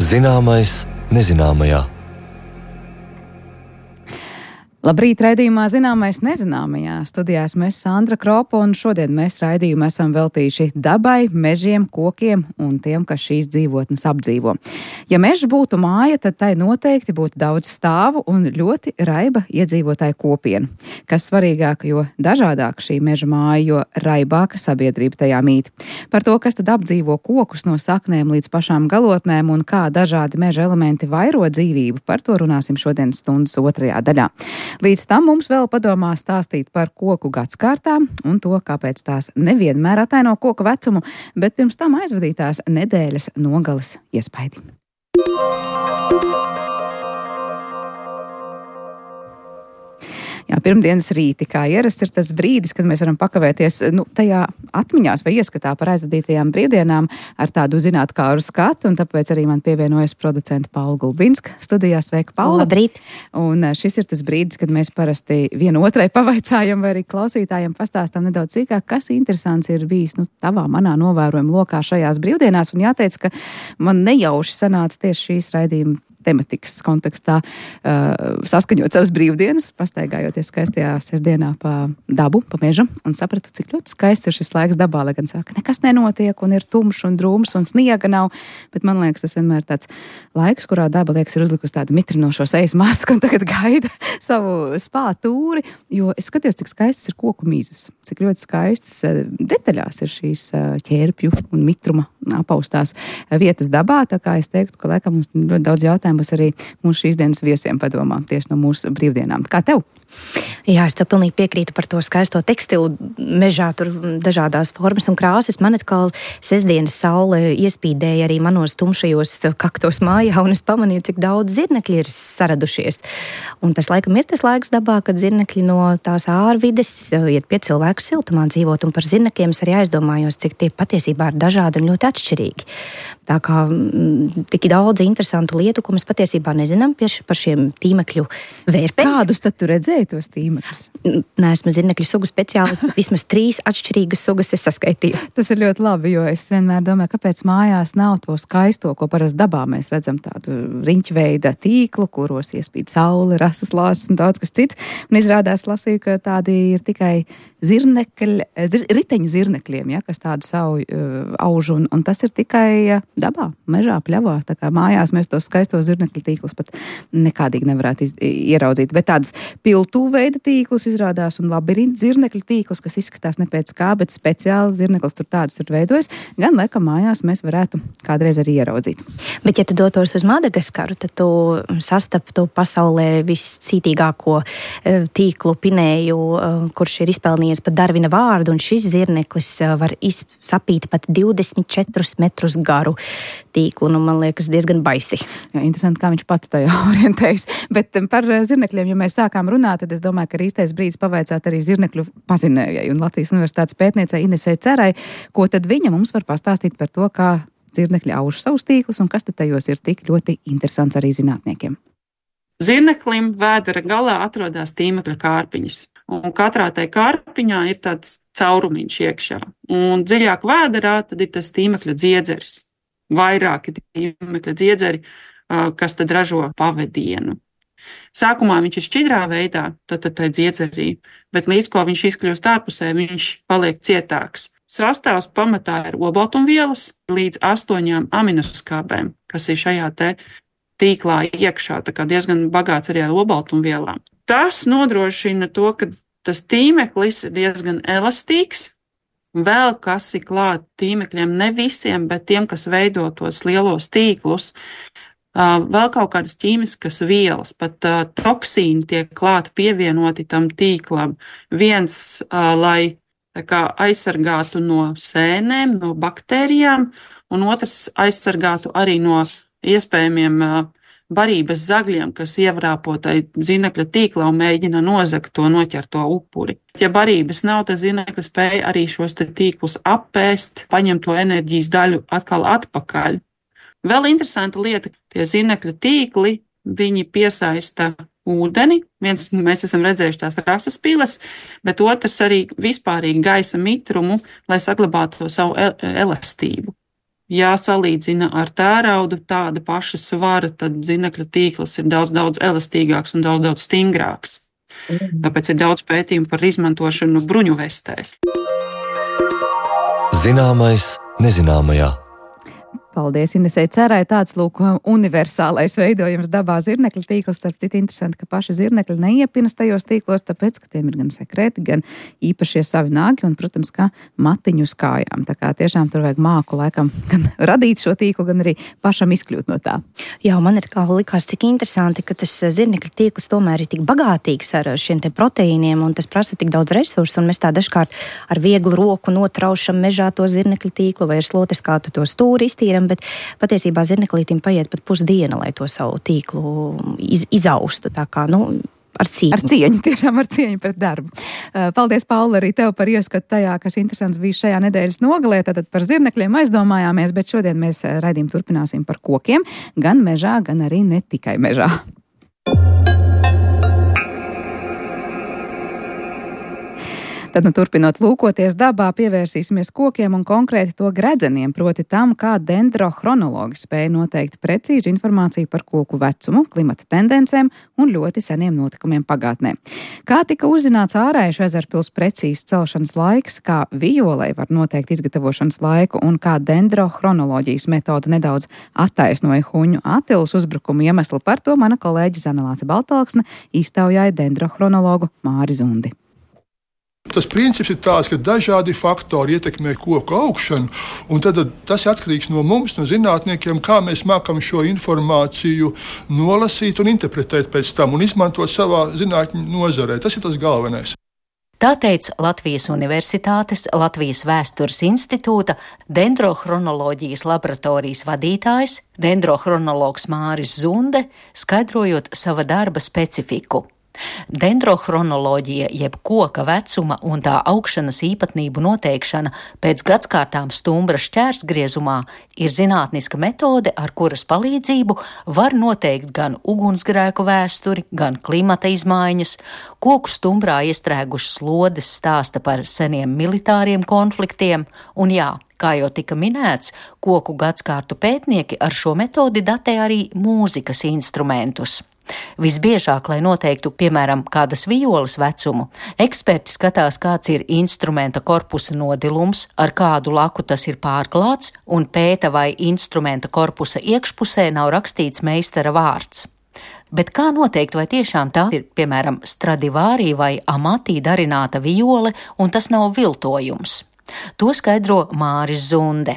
Zināmais nezināmajā. Labrīt, raidījumā Zināmais nezināmajā. Studijā esmu Sandra Kropa, un šodien mēs raidījumu esam veltījuši dabai, mežiem, kokiem un tiem, kas šīs dzīvotnes apdzīvo. Ja mežs būtu māja, tad tai noteikti būtu daudz stāvu un ļoti raiba iedzīvotāju kopiena. Kas svarīgāk, jo dažādāk šī meža māja, jo raibāka sabiedrība tajā mīt. Par to, kas tad apdzīvo kokus no saknēm līdz pašām galotnēm un kā dažādi meža elementi vairo dzīvību, par to runāsim šodienas stundas otrajā daļā. Līdz tam mums vēl padomā stāstīt par koku gadskārtām un to, kāpēc tās nevienmēr ataino koku vecumu, bet pirms tam aizvadītās nedēļas nogales iespaidi. Jā, pirmdienas rīti, kā ierasts, ir tas brīdis, kad mēs varam pakavēties tajā atmiņās vai ieskatā par aizvadītajām brīvdienām ar tādu zinātkāru skatu, un tāpēc arī man pievienojas producenta Paula Gulbinska studijā. Sveika, Paula! Labrīt! Un šis ir tas brīdis, kad mēs parasti vienotrai pavaicājam vai arī klausītājiem pastāstam nedaudz sīkāk, kas interesants ir bijis tavā, manā novērojuma lokā šajās brīvdienās, un jāteic, ka man nejauši sanāca tieši šīs raidījuma tematikas kontekstā saskaņot savas brīvdienas, pastaigājoties skaistajā sestdienā pa dabu, pa mežu, un sapratu, cik ļoti skaists ir šis laiks dabā, lai gan saka, nekas nenotiek, un ir tumšs un drūms, un sniega nav, bet man liekas, tas vienmēr ir tāds laiks, kurā daba, liekas, ir uzlikusi tādu mitrinošo sejas masku, un tagad gaida savu spātūri, jo es skatījos, cik skaistas ir koku mīzes, cik ļoti skaistas detaļās ir šīs ķērpju un mitruma apaustās vietas dabā, tā kā es teiktu, ka laikam mums ļoti daudz jautājumu būs arī mūsu šīs dienas viesiem padomā tieši no mūsu brīvdienām. Kā tev? Jā, es tev pilnīgi piekrītu par to skaisto tekstilu mežā, tur dažādās formas un krāsas. Man atkal sestdienas saule iespīdēja arī manos tumšajos kaktos mājā, un es pamanīju, cik daudz zirnekļi ir saradušies. Un tas laikam ir tas laiks dabā, kad zirnekļi no tās ārvides iet pie cilvēku siltumā dzīvot, un par zirnekļiem es arī aizdomājos, cik tie patiesībā ir dažādi un ļoti atšķirīgi. Tā kā tik daudz interesantu lietu, ko mēs patiesībā nezinām par šiem tīmekļu vērpēm. Kādus tad tu redzēji tos tīmeklus? Neesmu zirnekļu sugu speciālists, bet vismaz 3 atšķirīgas sugas es saskaitīju. Tas ir ļoti labi, jo es vienmēr domāju, kāpēc mājās nav to skaisto, ko parasti dabā mēs redzam, tādu riņķveida tīklu, kuros iespīd saule, rasas lāsas un daudz kas cits. Un izrādās lasīju, ka tādi ir tikai riteņu zirnekļiem, ja, kas tādu savu auž, un tas ir tikai dabā, mežā, pļavā. Tā kā mājās mēs tos skaistos zirnekļu tīklus pat nekādīgi nevarētu ieraudzīt. Bet tādas piltū veida tīklus izrādās un labirintu zirnekļu tīklus, kas izskatās ne pēc kā, bet speciāli zirneklis tur tādus ir veidojis, gan laikam mājās mēs varētu kādreiz arī ieraudzīt. Bet ja tu dotos uz Madagaskaru, tad tu sastaptu pasaulē viscītīgāko tīklu pinēju, kurš ir izpelnījies pat Darvina vārdu, un šis zirneklis var sapīt pat 24 metrus garu tīklu. Man liekas, diezgan baisi. Jā, interesanti, kā viņš pats tajā orientējas. Bet par zirnekļiem, ja mēs sākām runāt, tad es domāju, ka ir īstais brīdis pavaicāt arī zirnekļu pazinējai un Latvijas Universitātes pētniecei Inesei Cerai, ko tad viņa mums var pastāstīt par to, kā zirnekļi auž savus tīklus un kas tad tajos ir tik ļoti interesants arī zinātniekiem. Zirneklim vēdera galā atrodas tīmekļa kārpiņas. Un katrā tai kārpiņā ir tāds caurumiņš iekšā. Un dziļāk vēderā tad ir tas tīmekļa dziedzeris. Vairāki tīmekļa dziedzeri, kas tad ražo pavadienu. Sākumā viņš ir šķidrā veidā, tad tai dziedzerī, bet līdz ko viņš izkļūst ārpusē, viņš paliek cietāks. Sastāvs pamatā ir olbaltumvielas līdz 8 aminoskābēm, kas ir šajā te tīklā iekšā, tā kā diezgan bagāts arī ar olbaltumvielām. Tas nodrošina to, ka tas tīmeklis ir diezgan elastīgs. Vēl kas ir klāt tīmekļiem, ne visiem, bet tiem, kas veido tos lielos tīklus, vēl kaut kādas ķīmiskas vielas, pat toksīni tiek klāt pievienoti tam tīklam. Viens, lai aizsargātu no sēnēm, no baktērijām, un otrs aizsargātu arī no iespējamiem barības zagļiem, kas ievrāpo tai zirnekļa tīklā un mēģina nozagt to noķerto upuri. Ja barības nav, tad zirnekļi spēja arī šos tīklus apēst, paņemt to enerģijas daļu atkal atpakaļ. Vēl interesanta lieta, tie zirnekļa tīkli, viņi piesaista ūdeni. Viens, mēs esam redzējuši tās rasas piles, bet otrs arī vispārīgi gaisa mitrumu, lai saglabātu to savu elastību. Ja salīdzina ar tēraudu tāda paša svara, tad zinekļa tīkls ir daudz elastīgāks un daudz stingrāks. Tāpēc ir daudz pētījumu par izmantošanu bruņuvestēs. Zināmais nezināmajā. Paldies, Inesei Cerai. Tāds, lūk, universālais veidojums dabā zirnekļa tīkls. Starp citu, interesanti, ka paši zirnekļi neiepinas tajos tīklos, tāpēc, ka tiem ir gan sekreti, gan īpašie savi nāgi un, protams, kā matiņu uz kājām. Tā kā tiešām tur vajag māku laikam gan radīt šo tīklu, gan arī pašam izkļūt no tā. Jā, man ir kā likās, cik interesanti, ka tas zirnekļa tīkls tomēr ir tik bagātīgs ar šiem te proteīniem un tas prasa tik daudz resursu, un mēs tā dažkārt ar vieglu roku notraušam mežā to zirnekļa tīklu vai ar slotes kātu to stūri iztīram, bet patiesībā zirneklītim paiet pat pusdiena, lai to savu tīklu izaustu. Tā kā, ar cieņu. Ar cieņu, tiešām ar cieņu pret darbu. Paldies, Paula, arī tev par ieskatu tajā, kas interesants bija šajā nedēļas nogalē. Tātad par zirnekļiem aizdomājāmies, bet šodien mēs raidījumu turpināsim par kokiem, gan mežā, gan arī ne tikai mežā. Tad, turpinot lūkoties dabā, pievērsīsimies kokiem un konkrēti to gredzeniem, proti tam, kā dendrochronologi spēja noteikt precīzu informāciju par koku vecumu, klimata tendencēm un ļoti seniem notikumiem pagātnē. Kā tika uzzināts Ārējušu ezerpils precīzs celšanas laiks, kā vijolei var noteikt izgatavošanas laiku un kā dendrochronoloģijas metoda nedaudz attaisnoja Huņu Atilas uzbrukumu iemeslu, par to mana kolēģe Zanelāce Baltalksne iztaujāja dendrochronologu Māri Zundi. Tas princips ir tāds, ka dažādi faktori ietekmē koku augšanu, un tad tas ir atkarīgs no mums, no zinātniekiem, kā mēs mākam šo informāciju nolasīt un interpretēt pēc tam un izmantot savā zinātņu nozarē. Tas ir tas galvenais. Tā teica Latvijas Universitātes Latvijas Vēstures institūta dendrochronoloģijas laboratorijas vadītājs, dendrochronologs Māris Zunde, skaidrojot sava darba specifiku. Dendrochronoloģija, jeb koka vecuma un tā augšanas īpatnību noteikšana pēc gadskārtām stumbra šķērsgriezumā ir zinātniska metode, ar kuras palīdzību var noteikt gan ugunsgrēku vēsturi, gan klimata izmaiņas. Koku stumbrā iestrēgušas lodes stāsta par seniem militāriem konfliktiem, un jā, kā jau tika minēts, koku gadskārtu pētnieki ar šo metodi datē arī mūzikas instrumentus. Visbiežāk, lai noteiktu, piemēram, kādas violas vecumu, eksperti skatās, kāds ir instrumenta korpusa nodilums, ar kādu laku tas ir pārklāts, un pēta, vai instrumenta korpusa iekšpusē nav rakstīts meistara vārds. Bet kā noteikt, vai tiešām tā ir, piemēram, Stradivāri vai Amati darināta viole, un tas nav viltojums? To skaidro Māris Zunde.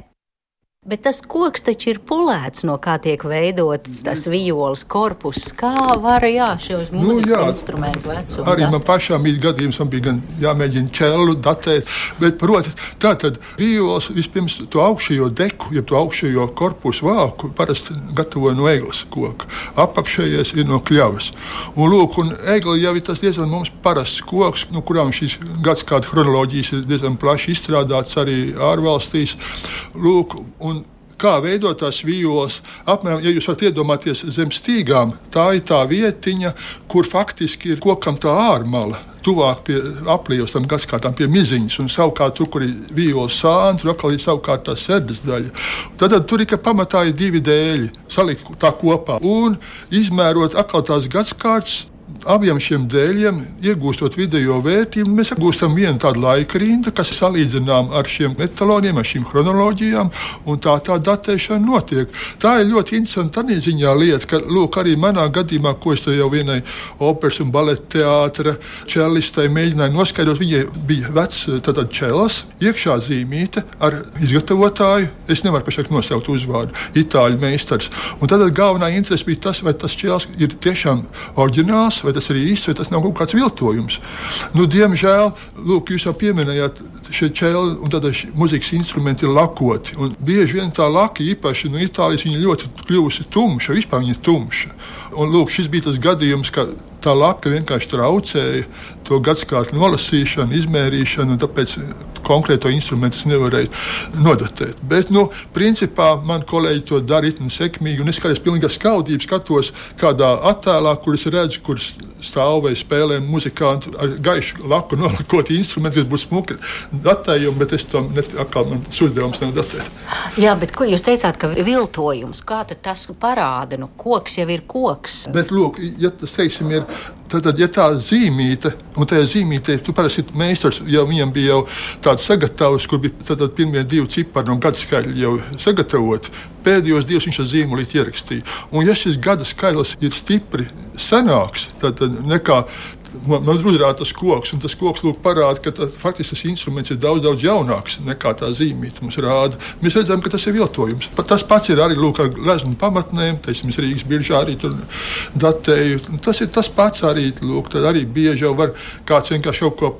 Bet tas koks taču ir pulēts, no kā tiek veidots tas violas korpus. Kā var, šos mūzikas instrumentu vecumu? Arī man pašām ir gadījums, man bija gan jāmēģina čellu datēt, bet, proti, tātad violas vispirms to augšējo deku, jeb to augšējo korpusu vāku, parasti gatavoja no egles koka. Apakšējais ir no kļavas. Un, lūk, un egle jau ir tas diezgan mums parasts koks, no kurām šīs gadskārtu chronoloģijas ir diezgan plaši izstrādāts arī ārvalstīs. Lūk, un kā veidot tās violas, apmēram, ja jūs varat iedomāties zem stīgām, tā ir tā vietiņa, kur faktiski ir kokam tā ārmala, tuvāk pie aplījos tam gadskārtām, pie miziņas, un savukārt tur, kur ir violas sāni, tur atkal ir savukārt tā serdes daļa. Tad tur ir, ka pamatā ir divi dēļi, salikt tā kopā, un izmērot atkal tās gadskārtas, abiem šiem dēļiem, iegūstot vidējo vērtību, mēs iegūstam vienu tādu laika rindu, kas salīdzinām ar šiem etaloniem, ar šīm chronoloģijām, un tā datēšana notiek. Tā ir ļoti interesanta tādā ziņā lieta, ka, lūk, arī manā gadījumā, ko es jau vienai operas un baleta teātra čellistei mēģināju noskaidrot, viņai bija vecs tātad čelas, iekšā zīmīte ar izgatavotāju, es nevaru pašlaik nosaukt uzvārdu, itāļu meistars. Un tad galvenā interese bija tas, vai tas čels ir tiešām oriģināls, vai tas ir īsts, vai tas nav kaut kāds viltojums. Diemžēl, lūk, jūs jau pieminējāt šie čeli un tad muzikas instrumenti ir lakoti. Un bieži vien tā laka, īpaši no Itālijas, viņa ļoti kļuvusi tumša, vispār viņa ir tumša. Un, lūk, šis bija tas gadījums, ka tā laka vienkārši traucēja to gadskārtu nolasīšanu, izmērīšanu, un tāpēc konkrēto instrumentu es nevarēju nodatēt. Bet, principā, man kolēģi to dara itni sekmīgi, un es kādreiz pilnīgi ar skaudību skatos kādā attēlā, kur es redzu, kur stāv vai spēlē muzikanti ar gaišu laku nolikot instrumentu, kas būtu smuki datējumi, bet es tam atkal man uzdevums nav datēt. Jā, bet ko jūs teicāt, ka viltojums, kā tad tas parāda? Koks jau ir koks. Bet, lūk, ja tas, teiksim, ir, tad ja tā zīmīte, un tajā zīmītē, tu parasti meistars, jau viņam bija jau tāds sagatavs, kur bija tad pirmie 2 cipari no gadskaitļi jau sagatavoti, pēdējos 2 viņš ar zīmolīti ierakstīja. Un ja šis gada skaitlis ir stipri senāks, tad nekā man uzrādīja tas koks, un tas koks lūk parāda, ka faktiski tas instruments ir daudz, daudz jaunāks nekā tā zīmīte mums rāda. Mēs redzam, ka tas ir viltojums. Tas pats ir arī lūk ar gleznu pamatnēm, teiksim, Rīgas biržā arī tur datēju. Tas ir tas pats arī, lūk, tad arī bieži jau var kāds vienkārši kaut ko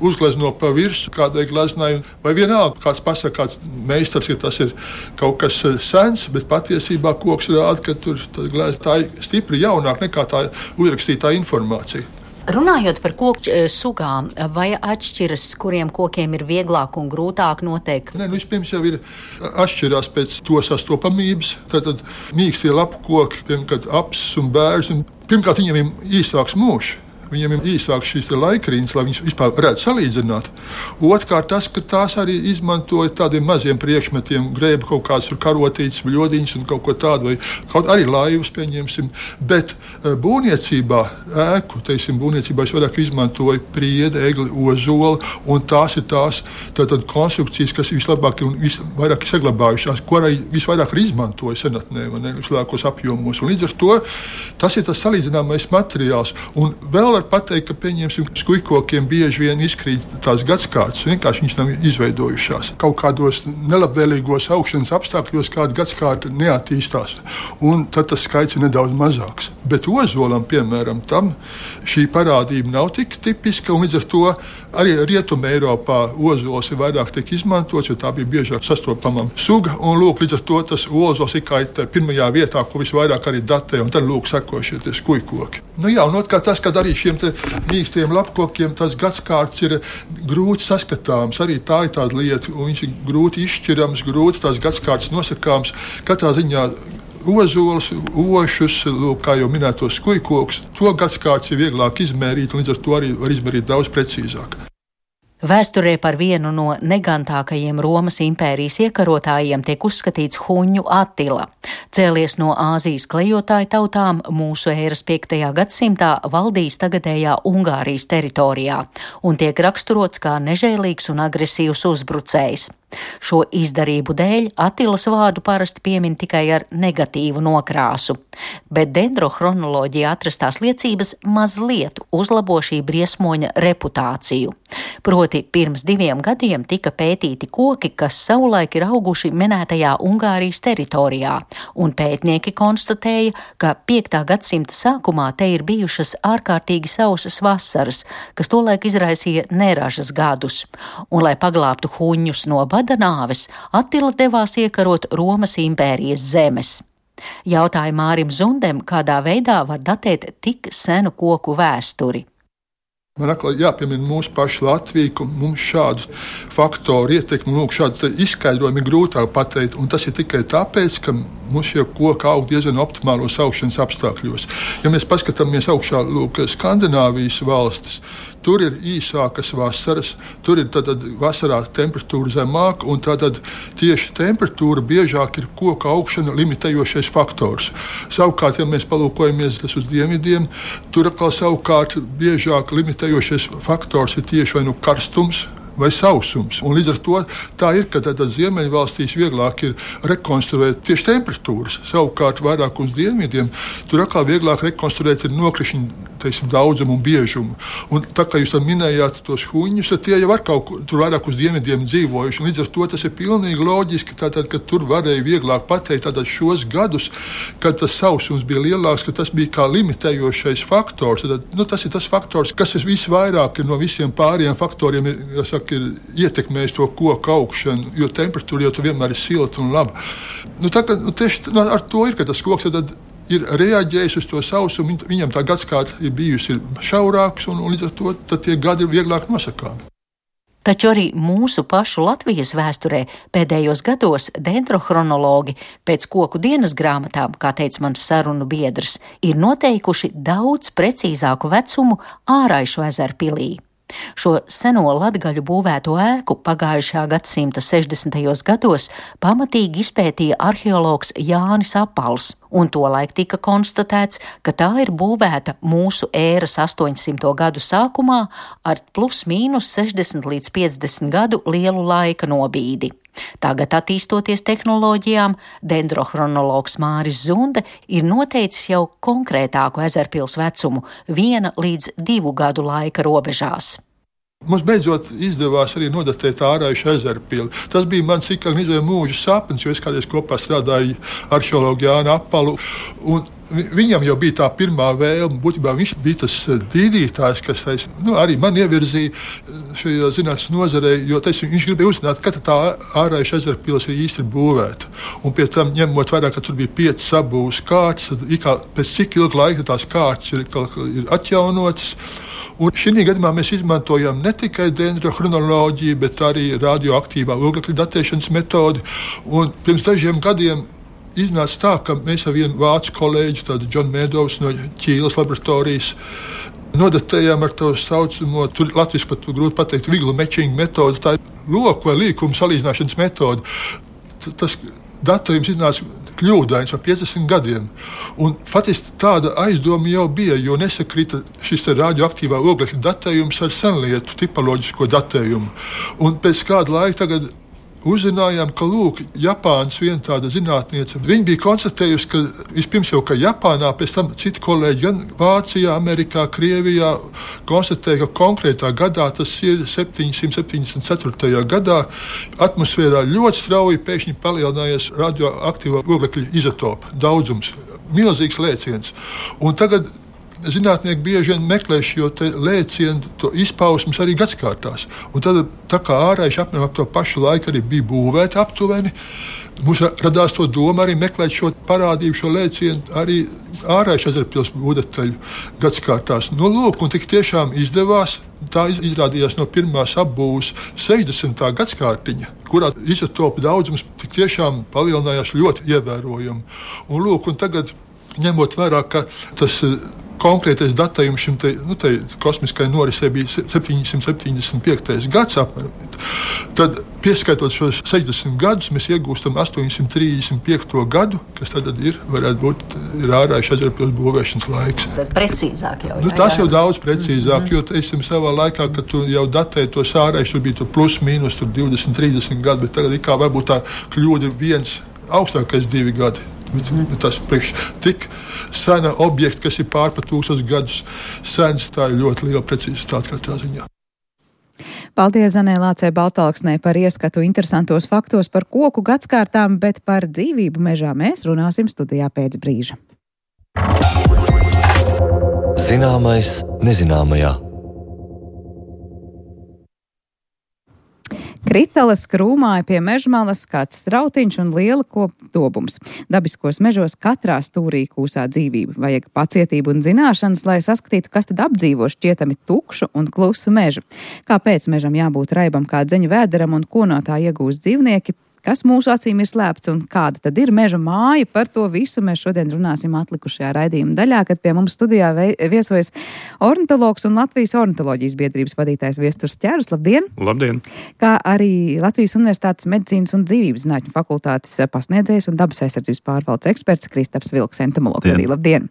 uzglezno pa virsu kādai gleznai, vai vienalga kāds pasaka, kāds meistars, ka tas ir kaut kas sens, bet patiesībā koks rāda, ka tur tā ir stipri jaunāk nekā tā uzrakstītā informācija. Runājot par koku sugām, vai atšķiras, kuriem kokiem ir vieglāk un grūtāk noteikt? Nē, vispirms jau ir atšķirās pēc to sastopamības. Tad mīkstie lapu koki, piemēram, apsis un bērs, pirmkārt viņiem ir īsāks mūžs. Viņiem ir īsāks šīs laikrīnas, lai viņas vispār varētu salīdzināt. Otrkārt, tas, ka tās arī izmantoja tādiem maziem priekšmetiem, grēba kaut kādas karotītes, bļodiņas un kaut ko tādu, vai kaut arī laivas, pieņemsim. Bet būvniecībā, būvniecībā es vairāk izmantoju priedi, egli, ozoli, un tās ir tās konstrukcijas, kas vislabāk un visvairāk saglabājušās, ko arī visvairāk ir izmantoja senatnē, vislielākos apjomos. Un līdz ar to tas ir tas salīdzināmais materiāls. Un vēl pateikt, ka, pieņemsim, skujkokiem bieži vien izkrīt tās gadskārtas, vienkārši viņas nav izveidojušās. Kaut kādos nelabvēlīgos augšanas apstākļos kāda gadskārta neattīstās, un tad tas skaits ir nedaudz mazāks. Bet ozolam, piemēram, tam šī parādība nav tik tipiska, un līdz ar to arī Rietumē Eiropā ozols ir vairāk tiek izmantots, jo tā bija biežāk sastopama suga, un lūk, līdz ar to tas ozols ir kā pirmajā vietā, ko visvairāk arī datē, un tad lūk sekošie tie skujkoki. Jā, un otrkārt tas, kad arī šiem mīkstiem lapkokiem tas gadskārts ir grūti saskatāms. Arī tā ir tāda lieta, un viņš ir grūti izšķirams, grūti tās gadskārts nosakāms. Katrā ziņā ozols, ošus, kā jau minētos skujkoks, to gadskārts ir vieglāk izmērīt, un līdz ar to arī var izmērīt daudz precīzāk. Vēsturē par vienu no negantākajiem Romas impērijas iekarotājiem tiek uzskatīts Huņu Atila. Cēlies no Āzijas klejotāju tautām, mūsu ēras 5. gadsimtā valdījis tagadējā Ungārijas teritorijā un tiek raksturots kā nežēlīgs un agresīvs uzbrucējs. Šo izdarību dēļ Atilas vārdu parasti piemin tikai ar negatīvu nokrāsu, bet dendrochronoloģijā atrastās liecības mazliet uzlabo šī briesmoņa reputāciju. Proti, pirms 2 gadiem tika pētīti koki, kas savulaik ir auguši minētajā Ungārijas teritorijā, un pētnieki konstatēja, ka 5. gadsimta sākumā te ir bijušas ārkārtīgi sausas vasaras, kas tolaik izraisīja neražas gadus, un, lai paglābtu huņus no bada nāves, Atila devās iekarot Romas impērijas zemes. Jautāja Mārim Zundem, kādā veidā var datēt tik senu koku vēsturi. Man atkal jāpiemina mūsu pašu Latviju, ka mums šādu faktoru ietekmi, šādu izskaidrojumu ir grūtāk pateikt, un tas ir tikai tāpēc, ka mums šie koki aug diezgan optimālos augšanas apstākļos. Ja mēs paskatāmies augšā, Skandināvijas valstis, tur ir īsākas vasaras, tur ir tad vasarā temperatūra zemāka, un tad tieši temperatūra biežāk ir koka augšana limitējošais faktors. Savukārt, ja mēs palūkojamies uz dienvidiem, tur atkal savukārt biežāk limitējošais faktors ir tieši vai karstums vai sausums. Un līdz ar to tā ir, ka ziemeļvalstīs vieglāk ir rekonstruēt tieši temperatūras. Savukārt vairāk uz dienvidiem tur atkal vieglāk rekonstruēt ir nokrišņu daudzumu un biežumu. Un tā kā jūs minējāt tos huņus, tad tie jau var kaut kur tur vairāk uz dienvidiem dzīvojuši. Un līdz ar to tas ir pilnīgi loģiski, ka tur varēja vieglāk pateikt šos gadus, kad tas sausums bija lielāks, ka tas bija kā limitējošais faktors. Tas ir tas faktors, kas visvairāk no visiem pārējiem faktoriem ir ietekmējis to koku augšanu, jo temperatūra jau vienmēr ir silta un laba. Tieši ar to ir, ka tas koks ir reaģējis uz to sausumu, viņam tā gadskārta ir bijusi šaurāks, un līdz ar to tie gadi ir vieglāk nosakāmi. Taču arī mūsu pašu Latvijas vēsturē pēdējos gados dendrochronologi pēc koku dienas grāmatām, kā teica mans sarunu biedrs, ir noteikuši daudz precīzāku vecumu Āraišu ezeru pilī. Šo seno latgaļu būvēto ēku pagājušā gadsimta 60. gados pamatīgi izpētīja arheologs Jānis Apals, un tolaik tika konstatēts, ka tā ir būvēta mūsu ēras 800. gadu sākumā ar plus mīnus 60 līdz 50 gadu lielu laika nobīdi. Tagad, attīstoties tehnoloģijām, dendrochronologs Māris Zunde ir noteicis jau konkrētāku ezerpils vecumu 1 līdz 2 gadu laika robežās. Mums beidzot izdevās arī nodatēt Āraišu ezerpili. Tas bija mans mūža sapnis, jo es kādreiz kopā strādāju arheologu Jānu Apalu. Viņam jau bija tā pirmā vēlme, būtībā viņš bija tas dīdītājs, kas arī man ievirzīja šajā zinātnes nozarē, jo viņš gribēja uzzināt, kad tā Āraišu ezerpils ir īsti būvēta. Un pie tam, ņemot vērā, ka tur bija 5 sabūves kārtas, tad pēc cik ilga laika tās kārtas ir atjaunotas. Un šī gadījumā mēs izmantojam ne tikai dendrochronoloģiju, bet arī radioaktīvā oglekļa datēšanas metodi. Un pirms dažiem gadiem iznāca tā, ka mēs ar vienu vācu kolēģi, tādu John Meadows no Ķīles laboratorijas, nodatējām ar to saucamo, tur latviski pat grūti pateikt, viglu matching metodi, tā ir loku vai līkumu salīdzināšanas metode. Tas datējums iznāca kļūdains par 50 gadiem. Un faktiski tāda aizdoma jau bija, jo nesakrita šis radioaktīvā oglekļa datējums ar senlietu tipoloģisko datējumu. Un pēc kāda laika tagad uzzinājām, ka Japānas viena tāda zinātniece, viņa bija konstatējusi, ka vispirms jau ka Japānā, pēc tam citi kolēģi gan Vācijā, Amerikā, Krievijā konstatēja, ka konkrētā gadā, tas ir 774. gadā, atmosfērā ļoti strauji pēkšņi palielinājies radioaktīvo oglekļa izotopu daudzums. Milzīgs lēciens. Un tagad zinātnieki bieži vien meklē šo lēcienu, to izpausmes arī gadskārtās. Un tad, tā kā Āraiši apmēram ap to pašu laiku arī bija būvēti aptuveni, mums radās to doma arī meklēt šo parādību, šo lēcienu arī Āraišu ezerpils būdataļu gadskārtās. Un tik tiešām izdevās. Tā izrādījās no pirmās apbūves 60. gadskārtiņa, kurā izotopu daudzums tik tiešām palielinājās ļoti ievērojami. Un tagad, ņemot vērā, ka tas konkrētais datējums šim kosmiskai norisei bija 775. gads apmēram. Tad, pieskaitot šos 60 gadus, mēs iegūstam 835. gadu, kas tad varētu būt Āraišu ezerpils būvēšanas laiks. Precīzāk jau. Tas jau daudz precīzāk, jo savā laikā, kad tu jau datēji tos Āraišus, tur bija plus mīnus 20, 30 gadi, bet tagad varbūt tā kļūda ir viens augstākais 2 gadi. Tas priekš tik sena objekta, kas ir pār par 1000 gadus sens, tā ir ļoti liela precizitāte katrā ziņā. Paldies Zanē Lācei Baltalksnei par ieskatu interesantos faktos par koku gadskārtām, bet par dzīvību mežā mēs runāsim studijā pēc brīža. Zināmais nezināmajā. Kritalas krūmāja pie mežmalas kāds strautiņš un liela kopdobums. Dabiskos mežos katrā stūrī kūsā dzīvība. Vajag pacietību un zināšanas, lai saskatītu, kas tad apdzīvo šķietami tukšu un klusu mežu. Kāpēc mežam jābūt raibam kā dzeņu vēderam un ko no tā iegūst dzīvnieki? Kas mūsu acīm ir slēpts un kāda tad ir meža māja? Par to visu mēs šodien runāsim atlikušajā raidījuma daļā, kad pie mums studijā viesojas ornitologs un Latvijas ornitoloģijas biedrības vadītājs Viesturs Ķērus. Labdien! Labdien! Kā arī Latvijas Universitātes medicīnas un dzīvības zinātņu fakultātes pasniedzējs un dabas aizsardzības pārvaldes eksperts Kristaps Vilks, entomologs. Arī labdien!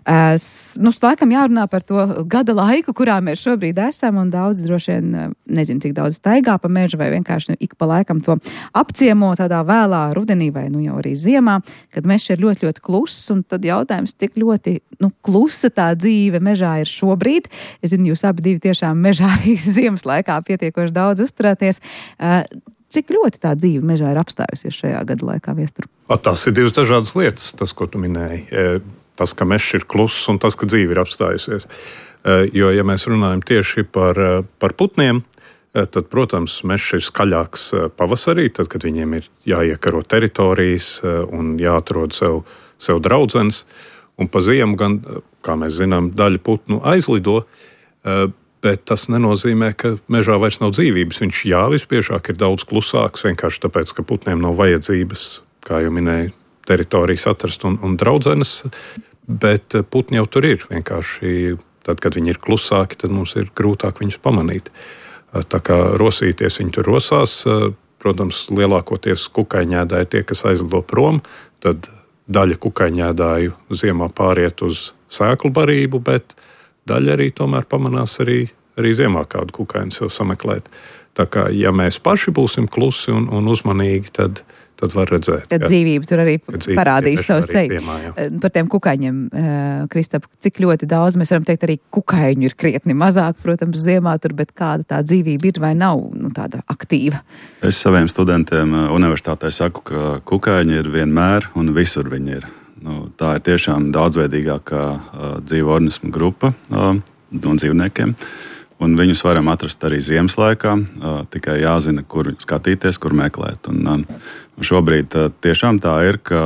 Laikam jārunā par to gada laiku, kurā mēs šobrīd esam, un daudz droši vien, nezinu, cik daudz staigā pa mežu vai vienkārši ik pa laikam to apciemo tādā vēlā rudenī vai jau arī ziemā, kad mežs ir ļoti, ļoti kluss, un tad jautājums, cik ļoti klusa tā dzīve mežā ir šobrīd. Es zinu, jūs abi divi tiešām mežā arī ziemas laikā pietiekoši daudz uzturēties. Cik ļoti tā dzīve mežā ir apstājusies šajā gada laikā, Viestur? Tas ir divas dažādas lietas, tas, ko tu minēji. Tas, ka mežs ir kluss un tas, ka dzīve ir apstājusies. Jo, ja mēs runājam tieši par putniem, tad, protams, mežs ir skaļāks pavasarī, tad, kad viņiem ir jāiekaro teritorijas un jāatrod sev draudzenes. Un pa ziemu gan, kā mēs zinām, daļa putnu aizlido. Bet tas nenozīmē, ka mežā vairs nav dzīvības. Viņš visbiežāk ir daudz klusāks, vienkārši tāpēc, ka putniem nav vajadzības, kā jau minēju, teritorijas atrast un draudzenes. Bet putni jau tur ir. Vienkārši tad, kad viņi ir klusāki, tad mums ir grūtāk viņus pamanīt. Tā kā rosīties viņi tur rosās, protams, lielākoties kukaiņēdāji tie, kas aizlido prom, tad daļa kukaiņēdāju ziemā pāriet uz sēklu barību, bet daļa arī tomēr pamanās arī ziemā kādu kukaini sev sameklēt. Tā kā, ja mēs paši būsim klusi un uzmanīgi, tad var redzēt. Tad dzīvība tur arī parādīs savu seju. Ziemā, par tiem kukaiņiem, Kristap, cik ļoti daudz mēs varam teikt, arī kukaiņu ir krietni mazāk, protams, ziemā tur, bet kāda tā dzīvība ir vai nav tāda aktīva? Es saviem studentiem universitātē saku, ka kukaiņi ir vienmēr un visur viņi ir. Tā ir tiešām daudzveidīgākā dzīvo organismu grupa no dzīvniekiem. Un viņus varam atrast arī ziemas laikā, tikai jāzina, kur skatīties, kur meklēt. Un šobrīd tiešām tā ir, ka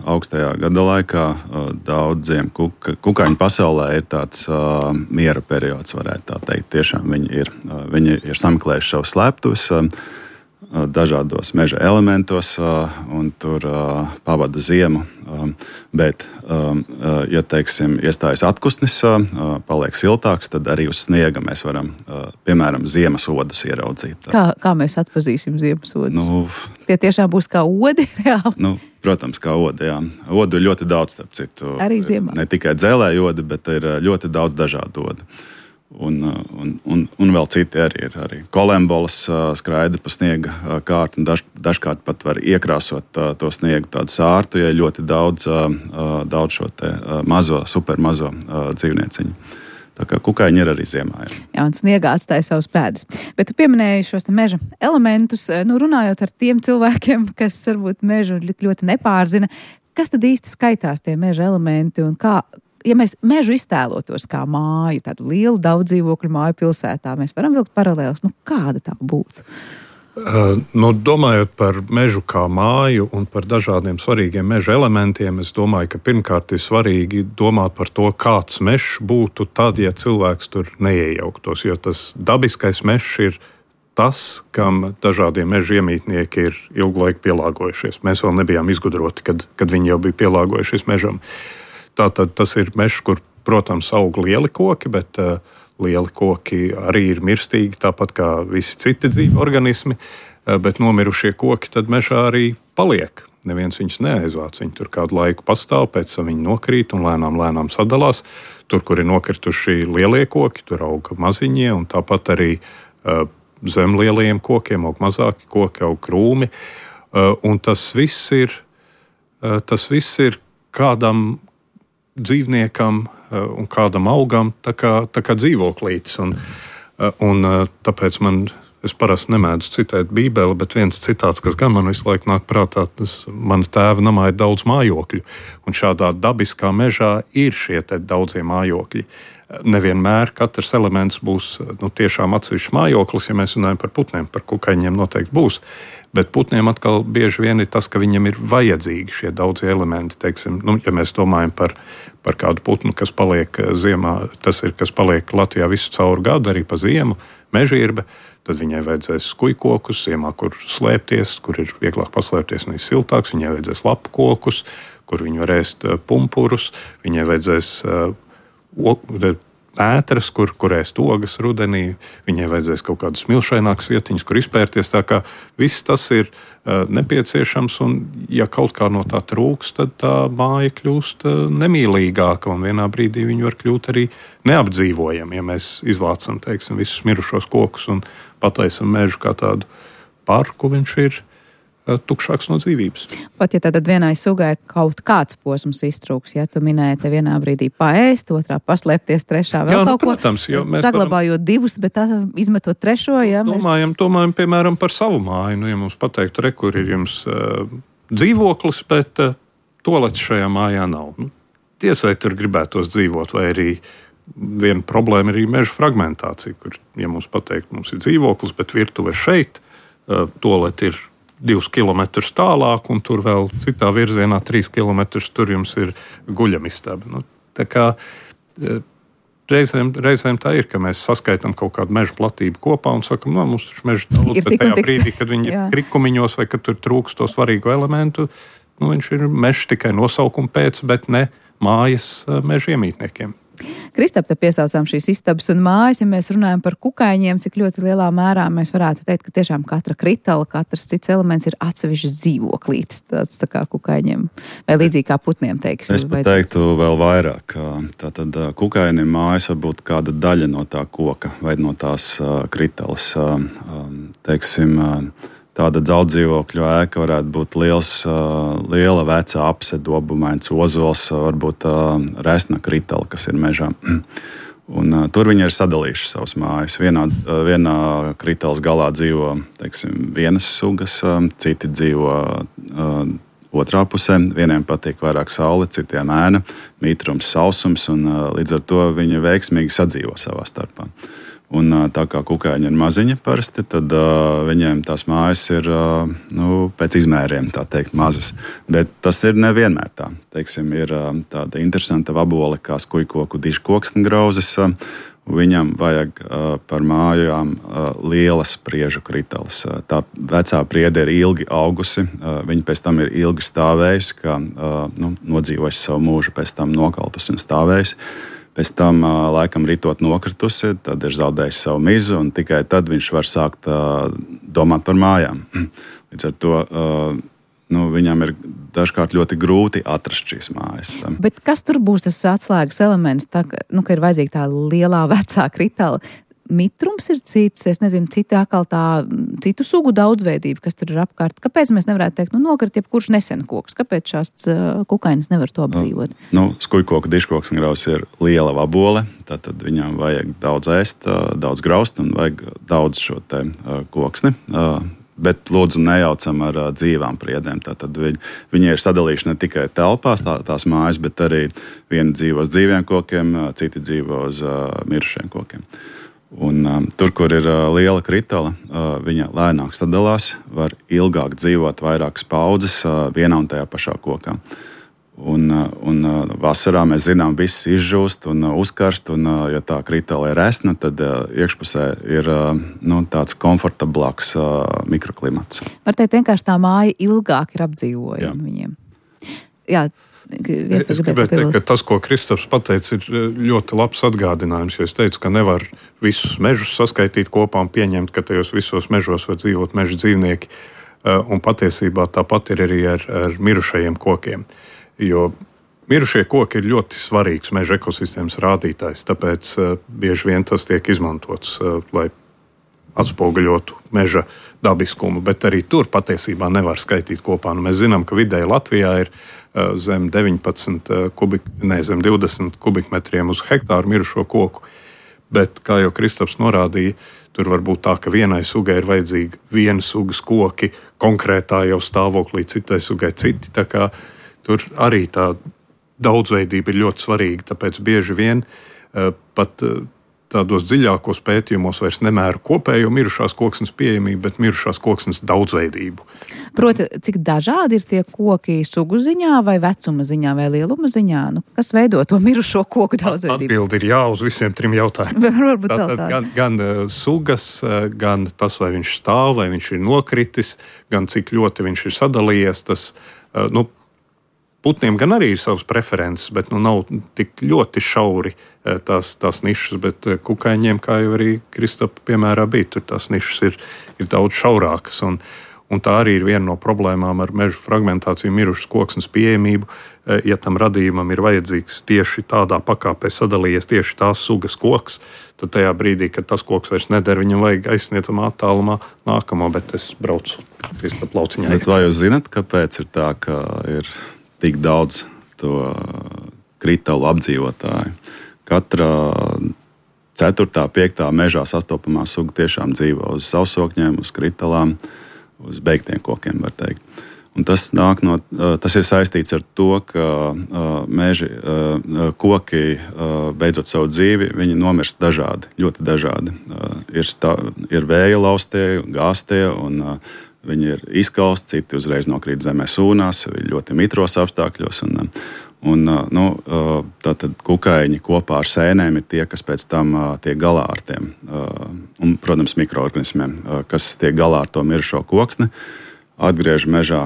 augstajā gada laikā daudziem kukaiņu pasaulē ir tāds miera periods, varētu tā teikt. Tiešām viņi ir sameklējuši savus slēptus dažādos meža elementos un tur pavada ziemu. Bet, ja teiksim, iestājas atpūsnis, paliek siltāks, tad arī uz sniega mēs varam, piemēram, ziemas odus ieraudzīt. Kā mēs atpazīsim ziemas odus? Tie tiešām būs kā odi reāli? Protams, kā odi, jā. Odu ir ļoti daudz, starp citu. Arī ziemā? Ne tikai dzelēju odi, bet ir ļoti daudz dažādu odu. Un vēl citi arī ir. Arī kolembolas skraida pa sniega kārtu un dažkārt pat var iekrāsot to sniegu tādu sārtu, ja ir ļoti daudz šo te supermazo dzīvnieciņu. Tā kā kukaiņi ir arī ziemā. Jā, un sniegā atstāja savus pēdas. Bet tu pieminēji šos te meža elementus, runājot ar tiem cilvēkiem, kas varbūt mežu ļoti nepārzina. Kas tad īsti skaitās tie meža elementi un kā? Ja mēs mežu iztēlotos kā māju, tādu lielu daudz dzīvokļu māju pilsētā, mēs varam vilkt paralēlus. Kāda tā būtu? Domājot par mežu kā māju un par dažādiem svarīgiem meža elementiem, es domāju, ka pirmkārt ir svarīgi domāt par to, kāds mežs būtu tad, ja cilvēks tur neiejauktos, jo tas dabiskais mežs ir tas, kam dažādie meža iemītnieki ir ilgu laiku pielāgojušies. Mēs vēl nebijām izgudroti, kad viņi jau bija pielāgojušies mežam. Tātad tas ir mežs, kur, protams, aug lieli koki, bet lieli koki arī ir mirstīgi, tāpat kā visi citi dzīvi organismi, bet nomirušie koki tad mežā arī paliek. Neviens viņus neaizvāc, viņi tur kādu laiku pastāv, pēc tam viņi nokrīt un lēnām sadalās. Tur, kur ir nokrituši lielie koki, tur aug maziņie, un tāpat arī zem lielajiem kokiem aug mazāki koki, aug krūmi. Un tas viss ir kādam dzīvniekam un kādam augam tā kā dzīvoklītis. Un tāpēc es parasti nemēdzu citēt Bībeli, bet viens citāts, kas gan man visu laiku nāk prātā, mana tēva namā ir daudz mājokļu. Un šādā dabiskā mežā ir šie daudzie mājokļi. Nevienmēr katrs elements būs tiešām atsevišķs mājoklis, ja mēs runājam par putniem, par kukaiņiem noteikti būs. Bet putniem atkal bieži vien ir tas, ka viņam ir vajadzīgi šie daudzie elementi. Teiksim, ja mēs domājam par kādu putnu, kas paliek ziemā, tas ir, kas paliek Latvijā visu cauru gadu, arī pa ziemu, mežirbe, tad viņai vajadzēs skujkokus ziemā, kur slēpties, kur ir vieglāk paslēpties un ir siltāks. Viņai vajadzēs lapu kokus, kur viņi var ēst pumpurus. Viņai vajadzēs ētras, kur ēst ogas rudenī. Viņai vajadzēs kaut kādas smilšainākas vietiņas, kur izpērties. Tā kā viss tas ir nepieciešams, un ja kaut kā no tā trūks, tad tā māja kļūst nemīlīgāka, un vienā brīdī viņa var kļūt arī neapdzīvojama, ja mēs izvācam, teiksim, visus mirušos kokus un pataisam mežu kā tādu parku, viņš ir tukšāks no dzīvības. Pat ja tad vienai sugai kaut kāds posms iztrūks, ja tu minēji te vienā brīdī paēst, otrā paslēpties, trešā vēl kaut protams, ko, saglabājot divus, bet izmetot trešo, ja mēs... Domājam, piemēram, par savu māju. Ja mums pateiktu, kur ir jums dzīvoklis, bet toalets šajā mājā nav. Diez vai tur gribētos dzīvot, vai arī viena problēma ir meža fragmentācija, kur, ja mums pateikt, mums ir dzīvoklis, bet virtuve šeit, toaleti ir 2 kilometrus tālāk, un tur vēl citā virzienā 3 kilometrus tur jums ir guļamistaba. Tā kā reizēm tā ir, ka mēs saskaitām kaut kādu meža platību kopā un sakam, mums taču meža daudz, bet tajā brīdī, kad viņi ir krikumiņos vai kad tur trūkst to svarīgu elementu, viņš ir mežs tikai nosaukuma pēc, bet ne mājas meža iemītniekiem. Kristap, te piesaucām šīs istabas un mājas, ja mēs runājam par kukaiņiem, cik ļoti lielā mērā mēs varētu teikt, ka tiešām katra kritala, katrs cits elements ir atsevišķs dzīvoklītis, tāds tā kā kukaiņiem, vai līdzīgi kā putniem, teiksim. Es pat teiktu vēl vairāk. Tātad kukainim mājas var būt kāda daļa no tā koka vai no tās kritalas. Teiksim, tāda daudzdzīvokļu ēka varētu būt liela vecā apsedobumains ozols, varbūt resna kritala, kas ir mežā. Un, tur viņi ir sadalījuši savas mājas. Vienā kritalas galā dzīvo, teiksim, vienas sugas, citi dzīvo otrā pusē. Vieniem patīk vairāk saule, citiem ēna, mitrums, sausums, un līdz ar to viņi veiksmīgi sadzīvo savā starpā. Un tā kā kukaiņi ir maziņi parasti, tad viņiem tās mājas ir pēc izmēriem, tā teikt, mazas. Bet tas ir nevienmēr tā. Teiksim, ir tāda interesanta vabole kā skujkoku dižkoksni grauzes. Viņam vajag par mājām lielas priežu kritalas. Tā vecā priede ir ilgi augusi, viņa pēc tam ir ilgi stāvējusi, kā nodzīvojusi savu mūžu, pēc tam nokaltusi un stāvējusi. Pēc tam, laikam, ritot nokritusi, tad ir zaudējis savu mizu, un tikai tad viņš var sākt domāt par mājām. Līdz ar to viņam ir dažkārt ļoti grūti atrast šīs mājas. Bet kas tur būs tas atslēgas elements, ka ir vajadzīga tā lielā vecā kritala? Mitrums ir cits, es nezinu, citu sugu daudzveidība, kas tur ir apkārt. Kāpēc mēs nevarētu teikt, nokrit jebkurš nesen koks? Kāpēc šāds kukainis nevar to apdzīvot? Skujkoku dižkoksni grauz ir liela vabole, tad viņam vajag daudz ēst, daudz graust un vajag daudz šo te koksni. Bet lūdzu nejaucam ar dzīvām priedēm. Tātad viņi ir sadalījuši ne tikai telpās tās mājas, bet arī vieni dzīvo uz dzīviem kokiem, citi dzīvo uz mirušiem kokiem. Un, tur, kur ir liela kritala, viņa lēnāk sadalās, var ilgāk dzīvot vairākas paudzes vienā un tajā pašā kokā. Un vasarā mēs zinām, viss izžūst un uzkarst, un ja tā kritala ir resna, tad iekšpusē ir tāds komfortablāks mikroklimats. Var teikt, vienkārši tā māja ilgāk ir apdzīvojama viņiem. Jā. Es gribētu teikt, ka tas, ko Kristaps pateica, ir ļoti labs atgādinājums, jo es teicu, ka nevar visus mežus saskaitīt kopā un pieņemt, ka tajos visos mežos var dzīvot meža dzīvnieki, un patiesībā tāpat ir arī ar mirušajiem kokiem, jo mirušie koki ir ļoti svarīgs meža ekosistēmas rādītājs, tāpēc bieži vien tas tiek izmantots, lai atspoguļotu meža dabiskumu, bet arī tur patiesībā nevar skaitīt kopā. Mēs zinām, ka vidēji Latvijā ir zem 20 kubikmetriem uz hektāru mirušo koku, bet, kā jau Kristaps norādīja, tur var būt tā, ka vienai sugai ir vajadzīga viena sugas koki, konkrētā jau stāvoklī, citai sugai citi, tā kā tur arī tā daudzveidība ir ļoti svarīga, tāpēc bieži vien pat tādos dziļākos pētījumos vairs nemēra kopējo mirušās koksnes pieejamību, bet mirušās koksnes daudzveidību. Proti, cik dažādi ir tie koki sugu ziņā vai vecuma ziņā vai lieluma ziņā? Kas veido to mirušo koku daudzveidību? Atbildi ir jā uz visiem 3 jautājumiem. Tātad gan sugas, gan tas, vai viņš stāv, vai viņš ir nokritis, gan cik ļoti viņš ir sadalījies, tas, putniem gan arī ir savas preferences, bet nav tik ļoti šauri tās nišas, bet kukaiņiem, kā jau arī Kristapa piemērā bija, tur tās nišas ir daudz šaurākas. Un tā arī ir viena no problēmām ar mežu fragmentāciju, mirušas koksnes pieejamību. Ja tam radījumam ir vajadzīgs tieši tādā pakāpē sadalījies tieši tās sugas koks, tad tajā brīdī, kad tas koks vairs neder, viņam vajag aizsniedzamā attālumā nākamo, bet es braucu Kristapa lauciņā. Bet vai jūs zināt, kāpēc ir tā, ka ir tik daudz to kritalu apdzīvotāju? Katra 4., 5. mežā sastopamā suga tiešām dzīvo uz sausokņiem, uz kritalām, uz beigtiem kokiem, var teikt. Un tas ir saistīts ar to, ka koki, beidzot savu dzīvi, viņi nomirst dažādi, ļoti dažādi. Ir vēja laustie, gāztie, un viņi ir izkalsti, citi uzreiz nokrīt zemē sūnās, ļoti mitros apstākļos. Un, tātad kukaiņi kopā ar sēnēm ir tie, kas pēc tam tiek galā ar tiem, un, protams, mikroorganismiem, kas tiek galā ar to mirušo koksni, atgriež mežā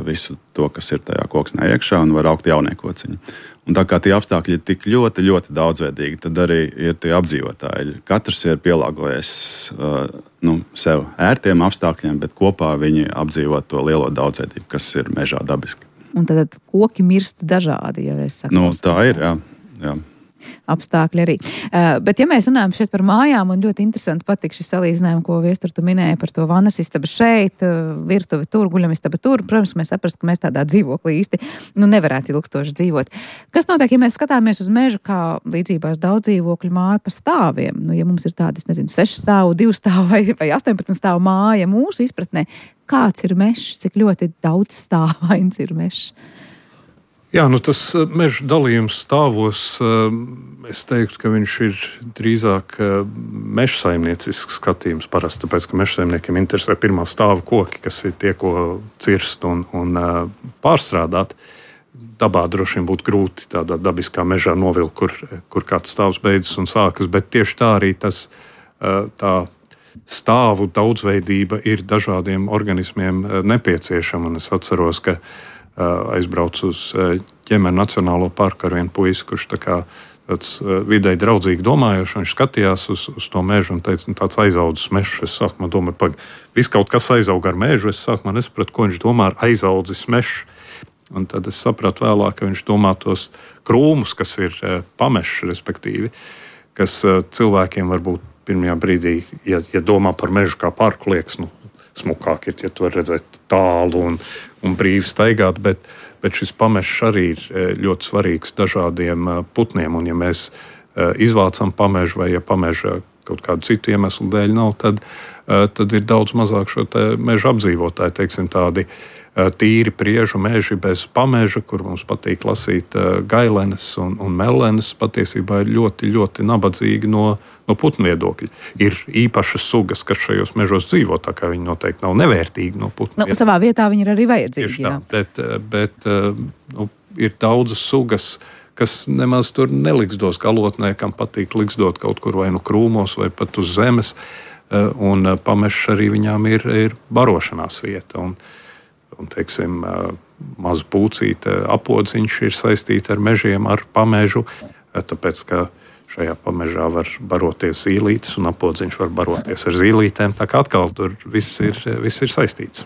visu to, kas ir tajā koksnē iekšā, un var augt jaunie kociņi. Un tā kā tie apstākļi ir tik ļoti, ļoti daudzveidīgi, tad arī ir tie apdzīvotāji. Katrs ir pielāgojies sev ērtiem apstākļiem, bet kopā viņi apdzīvo to lielo daudzveidību, kas ir mežā dabiski. Un tad koki mirst dažādi, ja es saku. Tā ir, jā. Apstākļi arī. Bet, ja mēs runājam šeit par mājām, un ļoti interesanti patīk šis salīdzinājums, ko Viestur tu minēja par to vannas istabu šeit, virtuvi tur, guļamistaba tur. Protams, mēs saprast, ka mēs tādā dzīvoklī īsti nevarētu ilgstoši dzīvot. Kas notiek, ja mēs skatāmies uz mežu kā līdzībās daudz dzīvokļu māju pa stāviem? Ja mums ir tādi, 6 stāvu, 2 stāvu vai 18 stāvu māja mūsu izpratnē, kāds ir mežs, cik ļoti daudz stāvains ir mežs? Jā, tas meža dalījums stāvos, es teiktu, ka viņš ir drīzāk meža saimniecisks skatījums parasti, tāpēc, ka meža saimniekiem interesē pirmā stāva koki, kas ir tie, ko cirst un pārstrādāt. Dabā droši vien būtu grūti tādā dabiskā mežā novilkt, kur kāds stāvs beidzas un sākas, bet tieši tā arī tā stāvu daudzveidība ir dažādiem organismiem nepieciešama. Un es atceros, ka aizbraucu uz Ķemeru Nacionālo parku ar vienu puisi, kurš tāds vidēji draudzīgi domājošs. Viņš skatījās uz to mežu un teica, tāds aizaudzis mežs. Es sākumā domāju, viss kaut kas aizaug ar mežu. Es sākumā nesapratu, ko viņš domā ar aizaudzis mežs. Un tad es sapratu vēlāk, ka viņš domā tos krūmus, kas ir pamešs, respektīvi, kas cilvēkiem varbūt pirmajā brīdī, ja domā par mežu kā parku, liekas, smukāk ir, ja tu var redzēt tālu un brīvi staigāt, bet šis pamešs arī ir ļoti svarīgs dažādiem putniem, un ja mēs izvācam pamežu vai ja pameža kaut kādu citu iemeslu dēļ nav, tad ir daudz mazāk šo te meža apdzīvotāju, teiksim tādi tīri priežu meži bez pameža, kur mums patīk lasīt gailenes un mellenes, patiesībā ir ļoti, ļoti nabadzīgi no putnu viedokļa. Ir īpašas sugas, kas šajos mežos dzīvo, tā kā viņi noteikti nav nevērtīgi no putnu viedokļa. Savā vietā viņi ir arī vajadzīgi. Bet ir daudzas sugas, kas nemaz tur neliksdos galotnē, kam patīk liksdot kaut kur vai krūmos vai pat uz zemes, un pamešs arī viņām ir barošanās vieta. Un teiksim, maza pūcīte apodziņš ir saistīta ar mežiem, ar pamežu, tāpēc, ka šajā pamežā var baroties zīlītes un apodziņš var baroties ar zīlītēm. Tā kā atkal tur viss ir saistīts.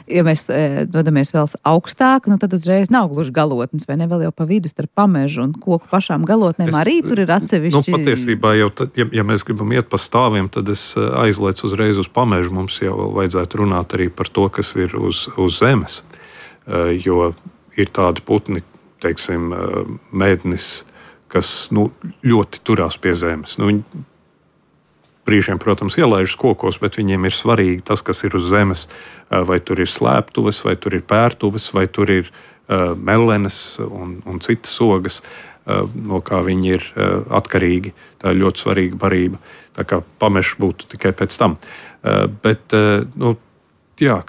Ja mēs dodamies vēl augstāk, tad uzreiz nav gluži galotnes, vai ne, vēl jau pa vidu starp pamežu un koku pašām galotnēm arī tur ir atsevišķi. Patiesībā jau tad, ja mēs gribam iet pa stāviem, tad es aizliecu uzreiz uz pamežu. Mums jau vajadzētu runāt arī par to, kas ir uz zemes. Jo ir tādi putni, teiksim, mednis, kas ļoti turās pie zemes. Viņi brīžiem, protams, ielaižas kokos, bet viņiem ir svarīgi tas, kas ir uz zemes. Vai tur ir slēptuves, vai tur ir pērtuves, vai tur ir mellenes un citas ogas, no kā viņi ir atkarīgi. Tā ir ļoti svarīga barība. Tā kā pamešs būtu tikai pēc tam. Bet,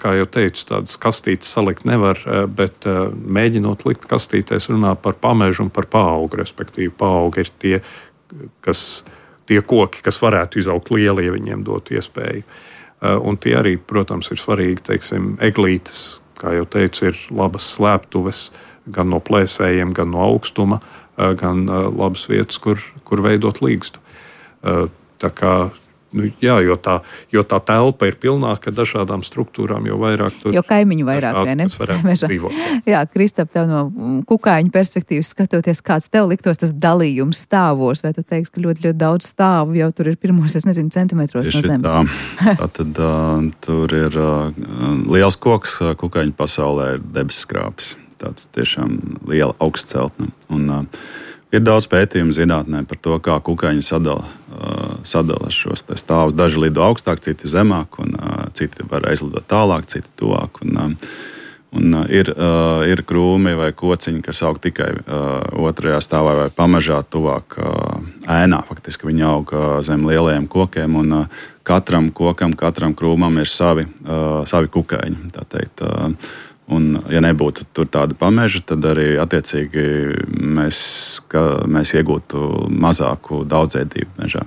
kā jau teicu, tādas kastītes salikt nevar, bet mēģinot likt kastītēs runā par pamežu un par paaugu, respektīvi paaugi ir tie koki, kas varētu izaugt lieli, ja viņiem dotu iespēju. Un tie arī, protams, ir svarīgi, teiksim, eglītes, kā jau teicu, ir labas slēptuves gan no plēsējiem, gan no augstuma, gan labas vietas, kur veidot līgstu. Tā kā, jo tā telpa ir pilnāka ar dažādām struktūrām, jo vairāk tur... Jo kaimiņu vairāk, vai ne? Jā, Kristap, tev no kukaiņu perspektīvas skatoties, kāds tev liktos tas dalījums stāvos, vai tu teiksi, ka ļoti, ļoti daudz stāvu jau tur ir pirmos, centimetros no zemes? Tātad tur ir liels koks, kukaiņu pasaulē ir debesskrāpis. Tāds tiešām liela augstceltne. Un ir daudz pētījumu zinātnē par to, kā kukaiņi sadala šos stāvus. Daži lido augstāk, citi zemāk, un citi var aizlidot tālāk, citi tuvāk. Un ir krūmi vai kociņi, kas aug tikai otrajā stāvā vai pamežā tuvāk ēnā. Faktiski viņi aug zem lielajiem kokiem, un katram kokam, katram krūmam ir savi kukaiņi, tā teikt. Un, ja nebūtu tur tāda pameža, tad arī attiecīgi mēs iegūtu mazāku daudzveidību mežā.